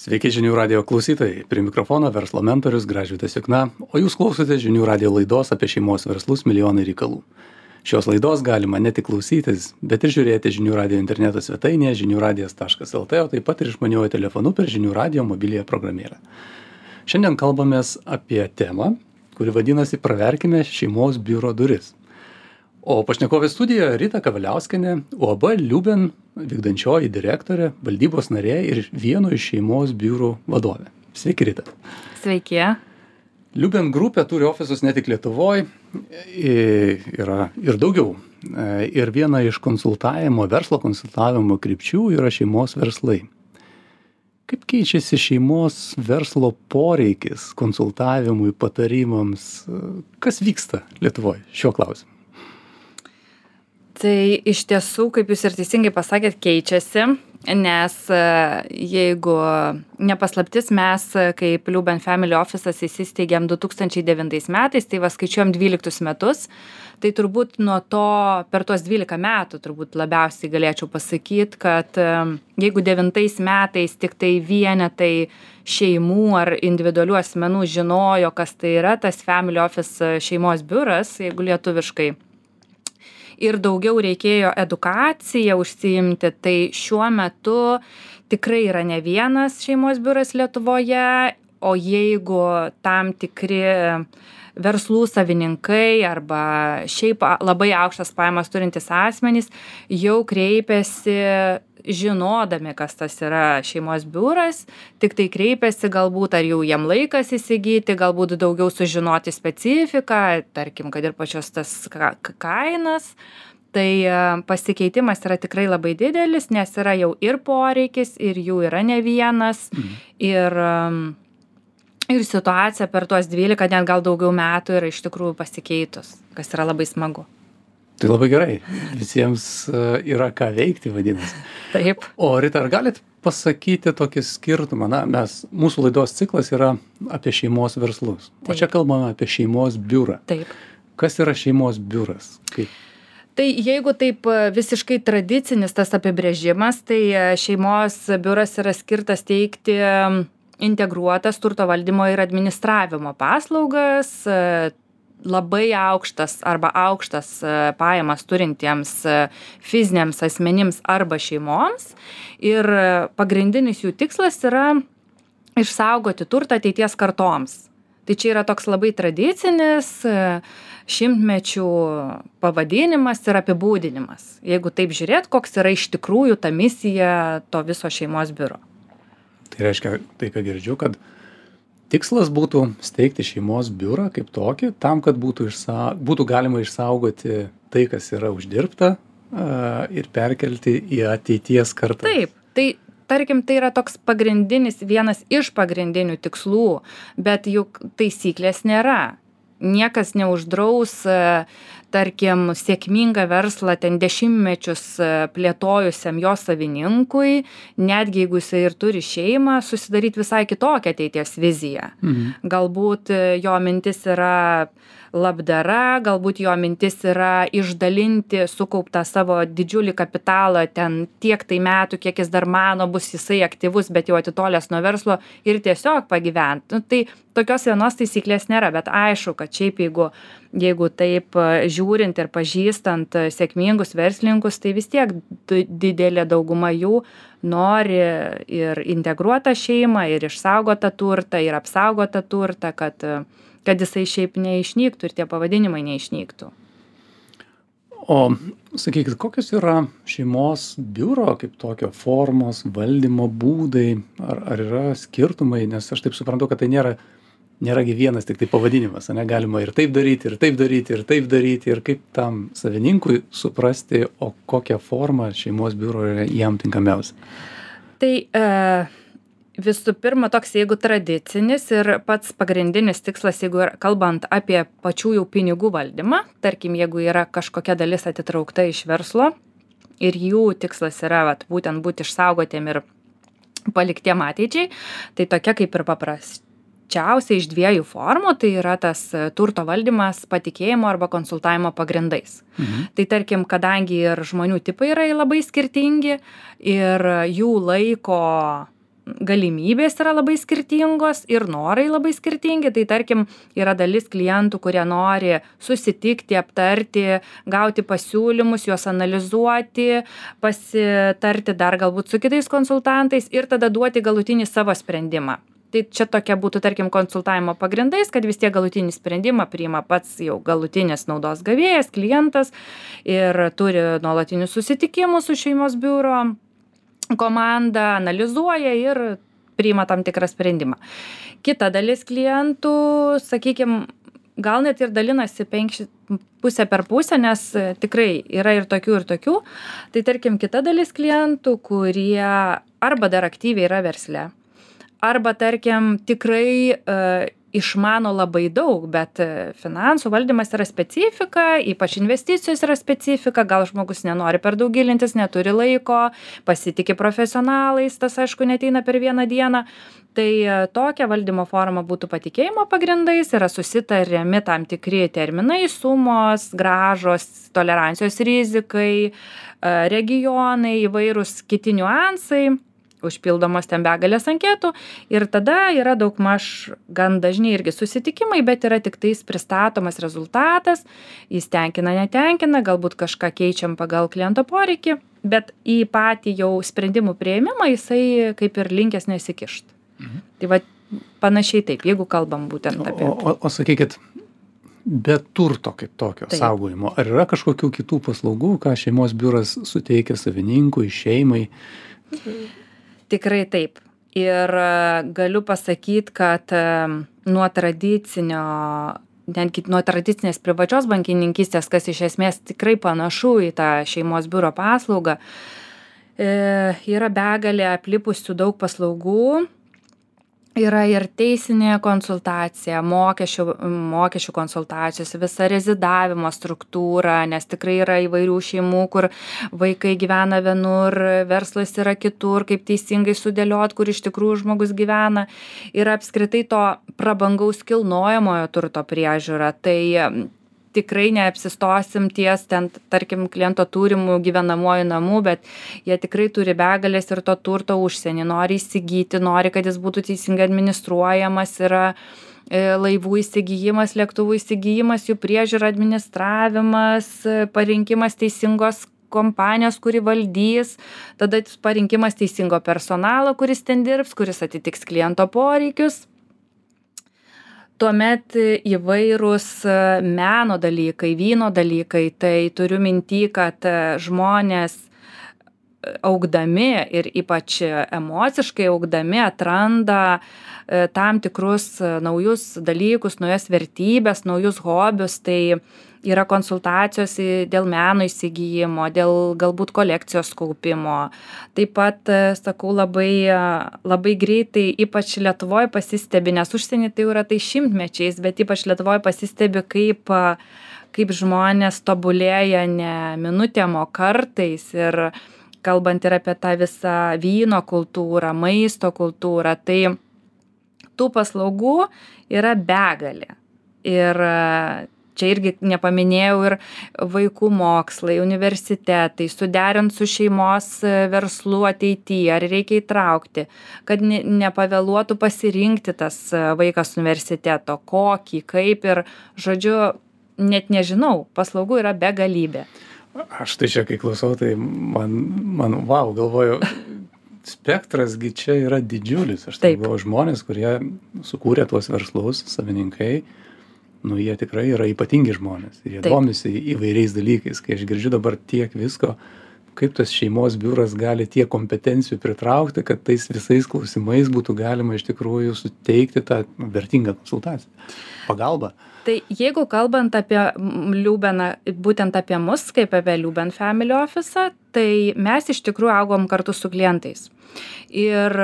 Sveiki žinių radio klausytojai. Prie mikrofono verslo mentorius Gražvydas Jukna, o jūs klausote žinių radio laidos apie šeimos verslus milijonai reikalų. Šios laidos galima ne tik klausytis, bet ir žiūrėti žinių radio interneto svetainėje žiniųradijas.lt, o taip pat ir išmaniuoju telefonu per žinių radio mobiliąją programėlę. Šiandien kalbamės apie temą, kuri vadinasi Praverkime šeimos biuro duris. O pašnekovė studijoje Rita Kavaliauskienė, UAB Liuben vykdančioji direktorė, valdybos narė ir vieno iš šeimos biurų vadovė. Sveiki, Rita. Sveiki. Liuben grupė turi ofisus ne tik Lietuvoje, yra ir daugiau. Ir viena iš verslo konsultavimo krypčių yra šeimos verslai. Kaip keičiasi šeimos verslo poreikis konsultavimui, patarimams? Kas vyksta Lietuvoje šiuo klausimu? Tai iš tiesų, kaip jūs ir teisingai pasakėt, keičiasi, nes jeigu nepaslaptis, mes kaip Liuben Family Office'as įsisteigėm 2009 metais, tai skaičiuojam 12 metus, tai turbūt nuo to per tuos 12 metų turbūt labiausiai galėčiau pasakyti, kad jeigu 9 metais tik tai vienetai šeimų ar individualių asmenų žinojo, kas tai yra tas Family Office šeimos biuras, jeigu lietuviškai, ir daugiau reikėjo edukaciją užsiimti, tai šiuo metu tikrai yra ne vienas šeimos biuras Lietuvoje, o jeigu tam tikri verslų savininkai arba šiaip labai aukštas pajamas turintys asmenys jau kreipiasi žinodami, kas tas yra šeimos biuras, tik tai kreipiasi galbūt, ar jau jiem laikas įsigyti, galbūt daugiau sužinoti specifiką, tarkim, kad ir pačios tas kainas. Tai pasikeitimas yra tikrai labai didelis, nes yra jau ir poreikis, ir jų yra ne vienas, ir situacija per tuos 12, net gal daugiau metų yra iš tikrųjų pasikeitus, kas yra labai smagu. Tai labai gerai. Visiems yra ką veikti, vadinasi. Taip. O Rita, ar galit pasakyti tokį skirtumą? Mūsų laidos ciklas yra apie šeimos verslus. Taip. O čia kalbame apie šeimos biurą. Taip. Kas yra šeimos biuras? Kaip? Tai jeigu taip visiškai tradicinis tas apibrėžimas, tai šeimos biuras yra skirtas teikti integruotas turto valdymo ir administravimo paslaugas, labai aukštas arba aukštas pajamas turintiems fiziniams asmenims arba šeimoms. Ir pagrindinis jų tikslas yra išsaugoti turtą ateities kartoms. Tai čia yra toks labai tradicinis šimtmečių pavadinimas ir apibūdinimas. Jeigu taip žiūrėt, koks yra iš tikrųjų ta misija to viso šeimos biuro. Tai reiškia, tai ką girdžiu, kad tikslas būtų steigti šeimos biurą kaip tokį, tam, kad būtų galima išsaugoti tai, kas yra uždirbta ir perkelti į ateities kartas. Taip, tai tarkim, tai yra toks vienas iš pagrindinių tikslų, bet juk taisyklės nėra. Niekas neuždraus, tarkim, sėkmingą verslą ten dešimtmečius plėtojusiam jo savininkui, netgi jeigu jisai ir turi šeimą, susidaryti visai kitokią ateities viziją. Galbūt jo mintis yra labdara, galbūt jo mintis yra išdalinti sukauptą savo didžiulį kapitalą ten tiek tai metų, kiek jis dar mano bus jisai aktyvus, bet jau atitolęs nuo verslo ir tiesiog pagyventi. Tai tokios vienos taisyklės nėra, bet aišku, kad šiaip jeigu taip žiūrint ir pažįstant sėkmingus verslininkus, tai vis tiek didelė dauguma jų nori ir integruotą šeimą, ir išsaugotą turtą, ir apsaugotą turtą, kad jisai šiaip neišnyktų ir tie pavadinimai neišnyktų. O sakykit, kokios yra šeimos biuro kaip tokio formos, valdymo būdai, ar yra skirtumai, nes aš taip suprantu, kad tai nėra vienas tik tai pavadinimas, galima ir taip daryti, ir taip daryti, ir taip daryti, ir kaip tam savininkui suprasti, o kokią formą šeimos biuro yra jam tinkamiausia. Tai visų pirma, toks jeigu tradicinis ir pats pagrindinis tikslas, jeigu kalbant apie pačių jau pinigų valdymą, tarkim, jeigu yra kažkokia dalis atitraukta iš verslo ir jų tikslas yra būtent būti išsaugotiem ir paliktiem ateičiai, tai tokia kaip ir paprasčiausia iš dviejų formų, tai yra tas turto valdymas patikėjimo arba konsultavimo pagrindais. Tai tarkim, kadangi ir žmonių tipai yra labai skirtingi ir jų laiko galimybės yra labai skirtingos ir norai labai skirtingi. Tai tarkim, yra dalis klientų, kurie nori susitikti, aptarti, gauti pasiūlymus, juos analizuoti, pasitarti dar galbūt su kitais konsultantais ir tada duoti galutinį savo sprendimą. Tai čia tokia būtų, tarkim, konsultavimo pagrindais, kad vis tiek galutinį sprendimą priima pats jau galutinis naudos gavėjas, klientas ir turi nuolatinius susitikimus su šeimos biuro komanda, analizuoja ir priima tam tikrą sprendimą. Kita dalis klientų, sakykime, gal net ir dalinasi pusę per pusę, nes tikrai yra ir tokių. Tai tarkim, kita dalis klientų, kurie arba dar aktyviai yra versle, arba, tarkim, tikrai išmano labai daug, bet finansų valdymas yra specifika, ypač investicijos yra specifika, gal žmogus nenori per daug gilintis, neturi laiko, pasitiki profesionalais, tas aišku neteina per vieną dieną. Tai tokia valdymo forma būtų patikėjimo pagrindais, yra susitariami tam tikri terminai, sumos, grąžos, tolerancijos rizikai, regionai, įvairūs kiti niuansai, užpildomos ten begalės anketų ir tada yra daugmaž gan dažni irgi susitikimai, bet yra tik tais pristatomas rezultatas, jis tenkina, netenkina, galbūt kažką keičiam pagal kliento poreikį, bet į patį jau sprendimų priėmimą jisai kaip ir linkęs nesikišt. Tai va panašiai taip, jeigu kalbam būtent apie... O sakykit, be turto kaip tokio saugojimo, ar yra kažkokių kitų paslaugų, ką šeimos biuras suteikia savininkui, šeimai? Tikrai taip. Ir galiu pasakyti, kad nuo tradicinės privačios bankininkystės, kas iš esmės tikrai panašu į tą šeimos biuro paslaugą, yra begalė aplipusių daug paslaugų. Yra ir teisinė konsultacija, mokesčių konsultacijos, visa rezidavimo struktūra, nes tikrai yra įvairių šeimų, kur vaikai gyvena vienur, verslas yra kitur, kaip teisingai sudėliot, kur iš tikrųjų žmogus gyvena. Ir apskritai to prabangaus kilnojamojo turto priežiūra. Tai tikrai neapsistosim ties ten, tarkim, kliento turimų gyvenamojų namų, bet jie tikrai turi begalės ir to turto užsienį, nori įsigyti, nori, kad jis būtų teisingai administruojamas, yra laivų įsigijimas, lėktuvų įsigijimas, jų priežiūra, administravimas, parinkimas teisingos kompanijos, kuri valdys, tada parinkimas teisingo personalo, kuris ten dirbs, kuris atitiks kliento poreikius. Tuomet įvairūs meno dalykai, vyno dalykai, tai turiu minty, kad žmonės augdami ir ypač emociškai augdami atranda tam tikrus naujus dalykus, naujas vertybės, naujus hobius, tai yra konsultacijos dėl meno įsigijimo, dėl galbūt kolekcijos kaupimo. Taip pat, sakau, labai greitai, ypač Lietuvoje pasistebi, nes užsienį tai yra tai šimtmečiais, bet ypač Lietuvoje pasistebi, kaip žmonės tobulėja ne minutėm, o kartais. Ir kalbant ir apie tą visą vyno kultūrą, maisto kultūrą, tai tų paslaugų yra begalė. Ir čia irgi nepaminėjau ir vaikų mokslai, universitetai, suderint su šeimos verslu ateityje, ar reikia įtraukti, kad nepavėluotų pasirinkti tas vaikas universiteto, kokį, kaip ir, žodžiu, net nežinau, paslaugų yra begalybė. Aš tai čia, kai klausau, tai man wow, galvoju, spektrasgi čia yra didžiulis. Aš tai galvoju, žmonės, kurie sukūrė tuos verslus, savininkai, jie tikrai yra ypatingi žmonės ir jie domisi įvairiais dalykais. Kai aš girdžiu dabar tiek visko, kaip tas šeimos biuras gali tiek kompetencijų pritraukti, kad tais visais klausimais būtų galima iš tikrųjų suteikti tą vertingą konsultaciją, pagalbą. Tai jeigu kalbant apie Liubeną, būtent apie mus, kaip apie Liuben Family Office, tai mes iš tikrųjų augom kartu su klientais. Ir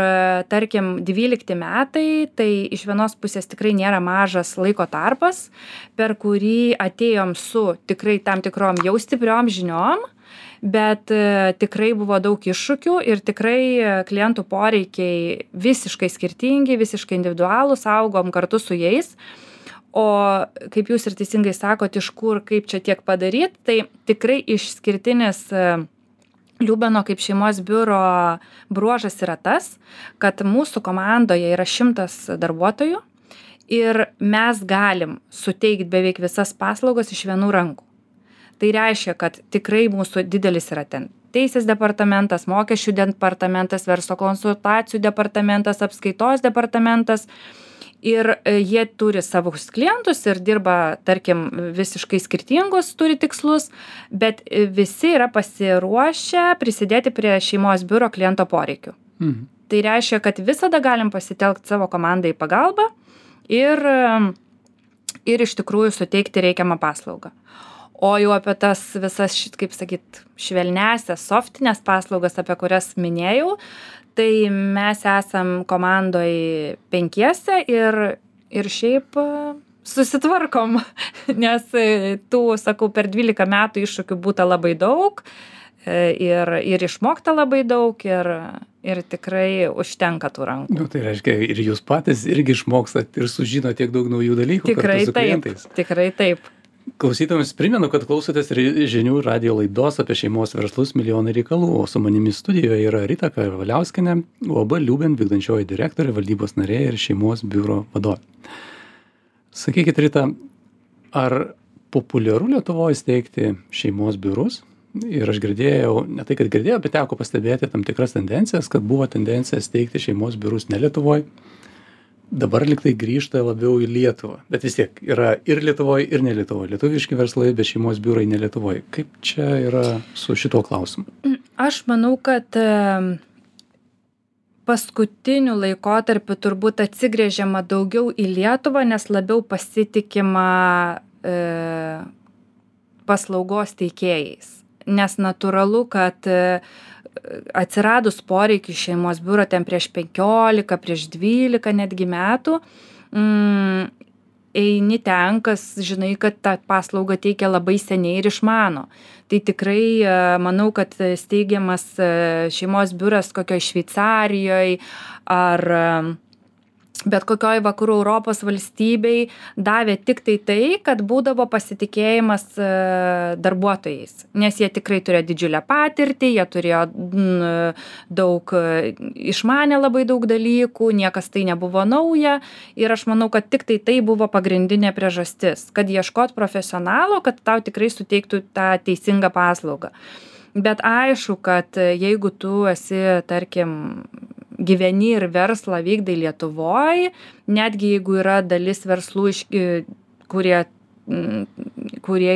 tarkim 12 metai, tai iš vienos pusės tikrai nėra mažas laiko tarpas, per kurį atėjom su tikrai tam tikrom jau stipriom žiniom, bet tikrai buvo daug iššūkių ir tikrai klientų poreikiai visiškai skirtingi, visiškai individualūs, augom kartu su jais. O kaip jūs ir teisingai sakot, iš kur, kaip čia tiek padaryti, tai tikrai išskirtinis Liubeno kaip šeimos biuro bruožas yra tas, kad mūsų komandoje yra 100 darbuotojų ir mes galim suteikti beveik visas paslaugas iš vienų rankų. Tai reiškia, kad tikrai mūsų didelis yra ten teisės departamentas, mokesčių departamentas, verslo konsultacijų departamentas, apskaitos departamentas. Ir jie turi savus klientus ir dirba, tarkim, visiškai skirtingus, turi tikslus, bet visi yra pasiruošę prisidėti prie šeimos biuro kliento poreikių. Tai reiškia, kad visada galim pasitelkti savo komandą į pagalbą ir iš tikrųjų suteikti reikiamą paslaugą. O jau apie tas visas, kaip sakyt, švelnesias, softinės paslaugas, apie kurias minėjau, tai mes esam komandoj 5 ir šiaip susitvarkom, nes tų, sakau, per 12 metų iššūkių būta labai daug ir išmokta labai daug ir tikrai užtenka tų rankų. Nu, tai reiškia, ir jūs patys irgi išmokstat ir sužino tiek daug naujų dalykų kartu su klientais. Tikrai taip. Klausytojams primenu, kad klausotės žinių radijo laidos apie šeimos verslus milijonai reikalų, o su manimi studijoje yra Rita Kavaliauskienė, UAB Liuben vykdančioji direktorė, valdybos narė ir šeimos biuro vadovė. Sakykit, Rita, ar populiaru Lietuvoje steigti šeimos biurus? Ir aš girdėjau, ne tai, kad girdėjau, bet teko pastebėti tam tikras tendencijas, kad buvo tendencija steigti šeimos biurus ne Lietuvoje. Dabar liktai grįžta labiau į Lietuvą, bet vis tiek yra ir Lietuvoje, ir ne Lietuvoje. Lietuviški verslai, bet šeimos biurai ne Lietuvoje. Kaip čia yra su šituo klausimu? Aš manau, kad paskutiniu laikotarpiu turbūt atsigręžiama daugiau į Lietuvą, nes labiau pasitikima paslaugos teikėjais. Nes natūralu, kad atsiradus poreikiui šeimos biuro ten prieš 15, prieš 12 netgi metų, eini ten, kas žinai, kad tą paslaugą teikia labai seniai ir išmano. Tai tikrai manau, kad steigiamas šeimos biuras kokioj Šveicarijoje ar bet kokioj vakarų Europos valstybei davė tik tai, kad būdavo pasitikėjimas darbuotojais, nes jie tikrai turėjo didžiulę patirtį, jie turėjo daug, išmanė labai daug dalykų, niekas tai nebuvo nauja ir aš manau, kad tik tai buvo pagrindinė priežastis, kad ieškot profesionalo, kad tau tikrai suteiktų tą teisingą paslaugą. Bet aišku, kad jeigu tu esi, tarkim, gyveni ir verslą vykdai Lietuvoj, netgi jeigu yra dalis verslų, kurie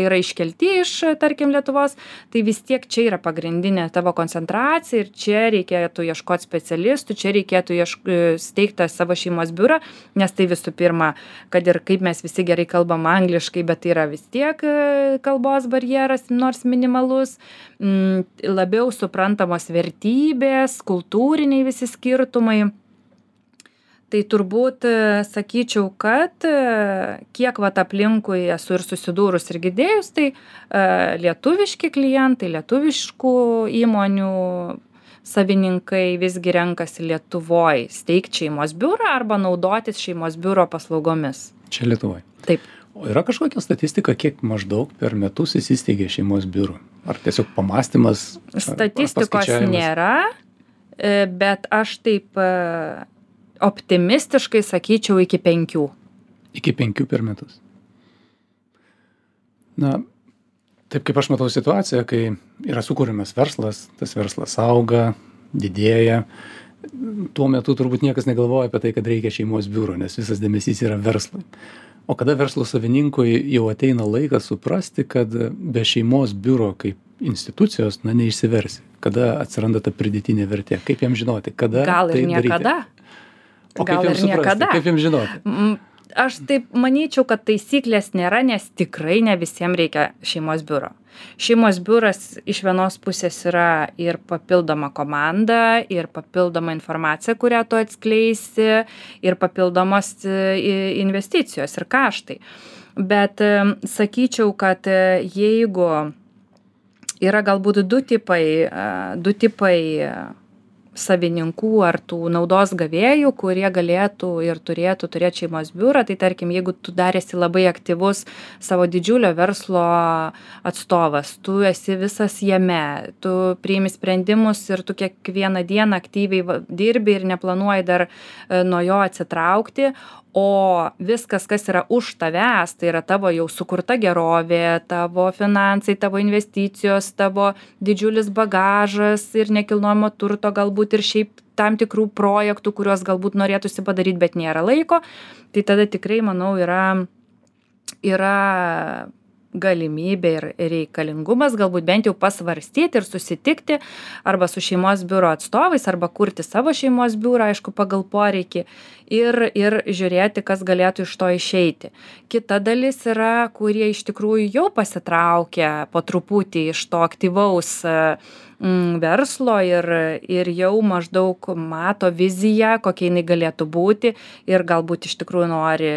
yra iškelti iš, tarkim, Lietuvos, tai vis tiek čia yra pagrindinė tavo koncentracija ir čia reikėtų ieškoti specialistų, čia reikėtų steigti savo šeimos biurą, nes tai visų pirma, kad ir kaip mes visi gerai kalbam angliškai, bet tai yra vis tiek kalbos barjeras, nors minimalus, labiau suprantamos vertybės, kultūriniai visi skirtumai. Tai turbūt sakyčiau, kad kiek aplinkui esu ir susidūrus ir girdėjus, tai lietuviški klientai, lietuviškų įmonių savininkai visgi renkasi Lietuvoj steigti šeimos biurą arba naudotis šeimos biuro paslaugomis. Čia Lietuvoje. Taip. O yra kažkokia statistika, kiek maždaug per metus įsisteigė šeimos biurų? Ar tiesiog pamastymas? Statistikos nėra, bet aš taip optimistiškai sakyčiau iki 5. Iki 5 per metus. Na, taip kaip aš matau situaciją, kai yra sukūrimas verslas, tas verslas auga, didėja, tuo metu turbūt niekas negalvoja apie tai, kad reikia šeimos biuro, nes visas dėmesys yra verslui. O kada verslo savininkui jau ateina laikas suprasti, kad be šeimos biuro kaip institucijos, neišsiversi, kada atsiranda ta pridėtinė vertė, kaip jam žinoti, kada gal ir tai niekada. daryti? O kaip jam suprasti, kaip jam žinoti? Aš taip manyčiau, kad taisyklės nėra, nes tikrai ne visiems reikia šeimos biuro. Šeimos biuras iš vienos pusės yra ir papildoma komanda, ir papildoma informacija, kurią tu atskleisi, ir papildomos investicijos ir kaštai. Bet sakyčiau, kad jeigu yra galbūt du tipai savininkų ar tų naudos gavėjų, kurie galėtų ir turėtų turėti šeimos biurą. Tai tarkim, jeigu tu dar esi labai aktyvus savo didžiulio verslo atstovas, tu esi visas jame, tu priimi sprendimus ir tu kiekvieną dieną aktyviai dirbi ir neplanuoji dar nuo jo atsitraukti, o viskas, kas yra už tavęs, tai yra tavo jau sukurta gerovė, tavo finansai, tavo investicijos, tavo didžiulis bagažas ir nekilnojamo turto, galbūt ir šiaip tam tikrų projektų, kuriuos galbūt norėtųsi padaryti, bet nėra laiko, tai tada tikrai, manau, yra galimybė ir reikalingumas galbūt bent jau pasvarstyti ir susitikti arba su šeimos biuro atstovais, arba kurti savo šeimos biurą, aišku, pagal poreikį ir žiūrėti, kas galėtų iš to išeiti. Kita dalis yra, kurie iš tikrųjų jau pasitraukia po truputį iš to aktyvaus verslo ir jau maždaug mato viziją, kokia jinai galėtų būti ir galbūt iš tikrųjų nori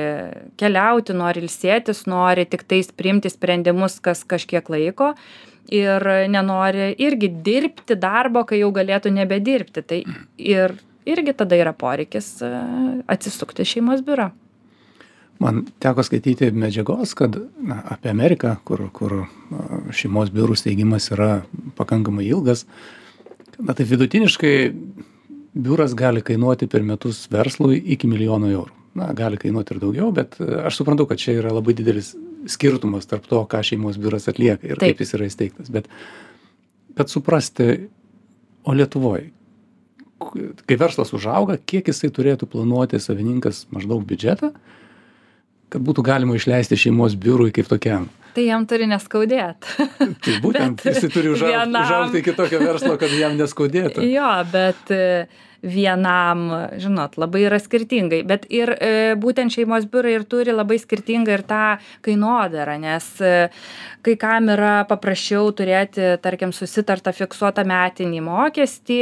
keliauti, nori ilsėtis, nori tik tais priimti sprendimus kas kažkiek laiko ir nenori irgi dirbti darbo, kai jau galėtų nebedirbti. Tai irgi tada yra poreikis atsisukti šeimos biurą. Man teko skaityti medžiagos, kad apie Ameriką, kur šeimos biurų steigimas yra pakankamai ilgas, tai vidutiniškai biuras gali kainuoti per metus verslui iki 1 000 000 eurų. Gali kainuoti ir daugiau, bet aš suprantu, kad čia yra labai didelis skirtumas tarp to, ką šeimos biuras atlieka ir kaip jis yra įsteigtas. Bet suprasti, o Lietuvoje, kai verslas užauga, kiek jisai turėtų planuoti savininkas maždaug biudžetą, kad būtų galima išleisti šeimos biurui kaip tokiam. Tai jam turi neskaudėti. Tai būtent, jisai turi užaugti iki tokio verslo, kad jam neskaudėtų. Jo, bet vienam, žinot, labai yra skirtingai. Bet ir būtent šeimos biurai ir turi labai skirtingą ir tą kainodarą, nes kai kam yra paprasčiau turėti, tarkim, susitartą fiksuotą metinį mokestį,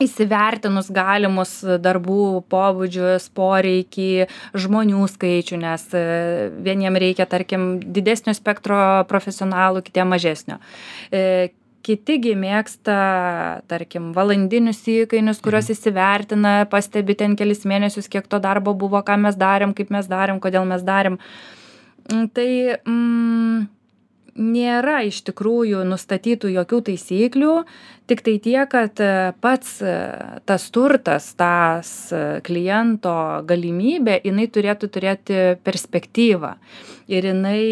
įsivertinus galimus darbų pobūdžius, poreikį, žmonių skaičių, nes vieniem reikia, tarkim, didesnio spektro profesionalų, kitiem mažesnio. Kitigi mėgsta, tarkim, valandinius įkainius, kuriuos įsivertina, pastebi ten kelis mėnesius, kiek to darbo buvo, ką mes darėm, kaip mes darėm, kodėl mes darėm. Tai nėra iš tikrųjų nustatytų jokių taisyklių, tik tai tiek, kad pats tas turtas, tas kliento galimybė, jinai turėtų turėti perspektyvą. Ir jinai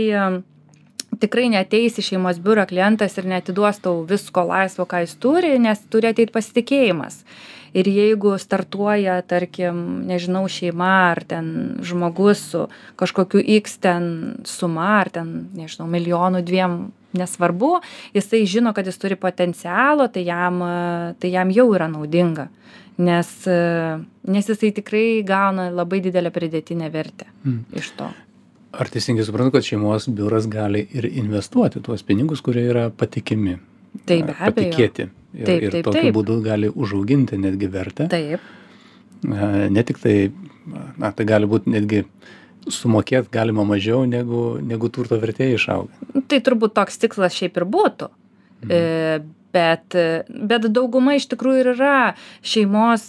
tikrai neateis į šeimos biurą klientas ir neatiduos tau visko laisvo, ką jis turi, nes turi ateiti pasitikėjimas. Ir jeigu startuoja, tarkim, nežinau, šeima ar ten žmogus su kažkokiu X ten suma, ar ten, nežinau, 1 2 000, nesvarbu, jisai žino, kad jis turi potencialo, tai jam jau yra naudinga, nes jisai tikrai gauna labai didelę pridėtinę vertę iš to. Ar teisingai suprantu, kad šeimos biuras gali ir investuoti tuos pinigus, kurie yra patikimi? Taip, be abejo. Patikėti. Ir tokiu būdu gali užauginti netgi vertę. Taip. Ne tik tai, tai gali būti netgi sumokėti galima mažiau, negu turto vertė išauga. Tai turbūt toks tikslas šiaip ir būtų. Bet dauguma iš tikrųjų ir yra šeimos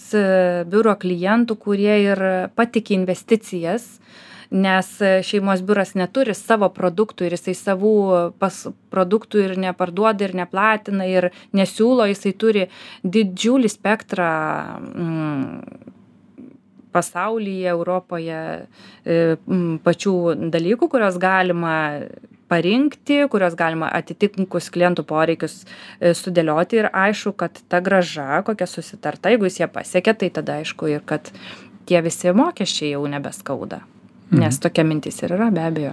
biuro klientų, kurie ir patiki investicijas, nes šeimos biuras neturi savo produktų ir jisai savų produktų ir neparduoda ir neplatina ir nesiūlo, jisai turi didžiulį spektrą pasaulyje, Europoje pačių dalykų, kurios galima parinkti, kurios galima atitinkus klientų poreikius sudėlioti ir aišku, kad ta grąža, kokia susitarta, jeigu jis ją pasiekia, tai tada aišku ir kad tie visi mokesčiai jau nebeskauda. Nes tokia mintis ir yra, be abejo.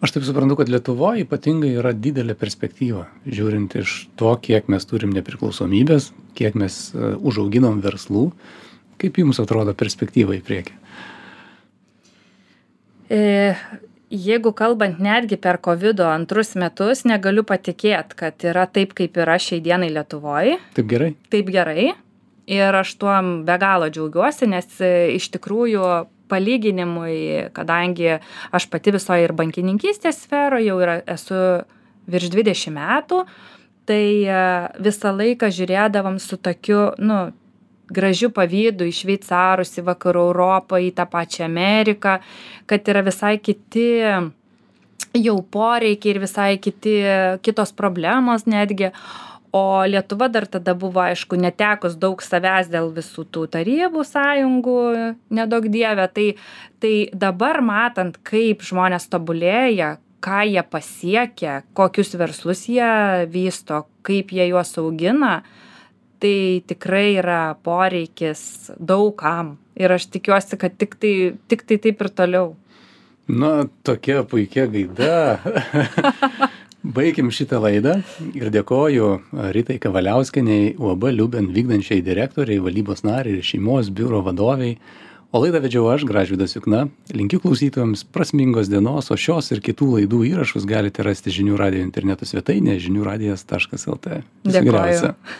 Aš taip suprantu, kad Lietuvoje ypatingai yra didelė perspektyva, žiūrint iš to, kiek mes turim nepriklausomybės, kiek mes užauginom verslų. Kaip jums atrodo perspektyva į priekį? Jeigu kalbant netgi per COVID 2 metus, negaliu patikėti, kad yra taip, kaip yra šiai dienai Lietuvoje. Taip gerai? Taip gerai. Ir aš tuom be galo džiaugiuosi, nes iš tikrųjų palyginimui, kadangi aš pati visoje ir bankininkystės sferoje jau esu virš 20 metų, tai visą laiką žiūrėdavom su tokiu, gražiu pavydu į šveicarus, į vakarų Europą, į tą pačią Ameriką, kad yra visai kiti jau poreikiai ir visai kitos problemos netgi. O Lietuva dar tada buvo, aišku, netekus daug savęs dėl visų tų tarybų sąjungų, nedaug dievė. Tai dabar matant, kaip žmonės tobulėja, ką jie pasiekia, kokius verslus jie vysto, kaip jie juos augina, tai tikrai yra poreikis daugam. Ir aš tikiuosi, kad tik tai taip ir toliau. Na, tokia puikia gaida. Baikim šitą laidą ir dėkoju Ritai Kavaliauskienei, UAB Liuben vykdančiai direktoriai, valdybos nariai ir šeimos biuro vadoviai. O laidą vedžiau aš, Gražvydas Jukna. Linkiu klausytojams prasmingos dienos, o šios ir kitų laidų įrašus galite rasti Žinių radijo interneto svetainėje žiniųradijas.lt. Dėkoju.